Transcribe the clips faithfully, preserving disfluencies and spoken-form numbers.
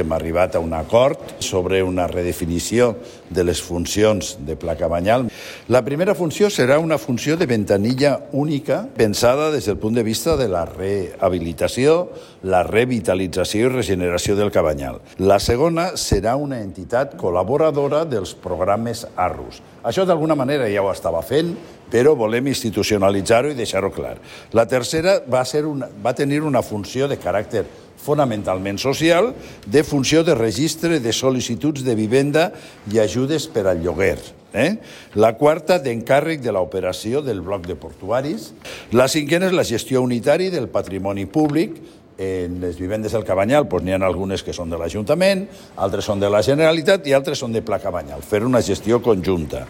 Hem arribat a un acord sobre una redefinició de les funcions de Pla Cabanyal. La primera funció serà una funció de ventanilla única pensada des del punt de vista de la rehabilitació, la revitalització i regeneració del Cabanyal. La segona serà una entitat col·laboradora dels programes ARRUS. Això d'alguna manera ja ho estava fent, però volem institucionalitzar-ho i deixar-ho clar. La tercera va, ser una, va tenir una funció de caràcter fonamentalment social, de funció de registre de sol·licituds de vivenda i ajudes per al lloguer. Eh? La quarta, d'encàrrec de l'operació del bloc de portuaris. La cinquena és la gestió unitària del patrimoni públic. En les vivendes del Cabanyal doncs, n'hi ha algunes que són de l'Ajuntament, altres són de la Generalitat i altres són de Pla Cabanyal, fer una gestió conjunta.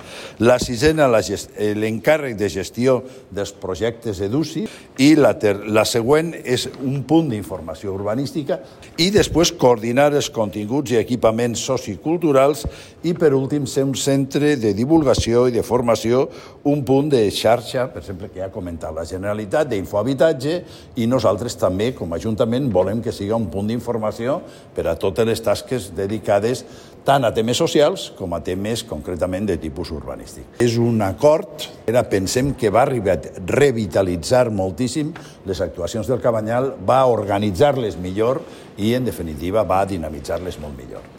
La sisena, l'encàrrec de gestió dels projectes EDUSI i la, ter la següent és un punt d'informació urbanística i després coordinar els continguts i equipaments socioculturals i per últim ser un centre de divulgació i de formació, un punt de xarxa, per exemple, que ja ha comentat la Generalitat, d'infohabitatge i nosaltres també, com a Ajuntament, volem que sigui un punt d'informació per a totes les tasques dedicades tant a temes socials com a temes concretament de tipus urbanístic. És un acord, era, pensem que va revitalitzar moltíssim les actuacions del Cabanyal, va organitzar-les millor i, en definitiva, va dinamitzar-les molt millor.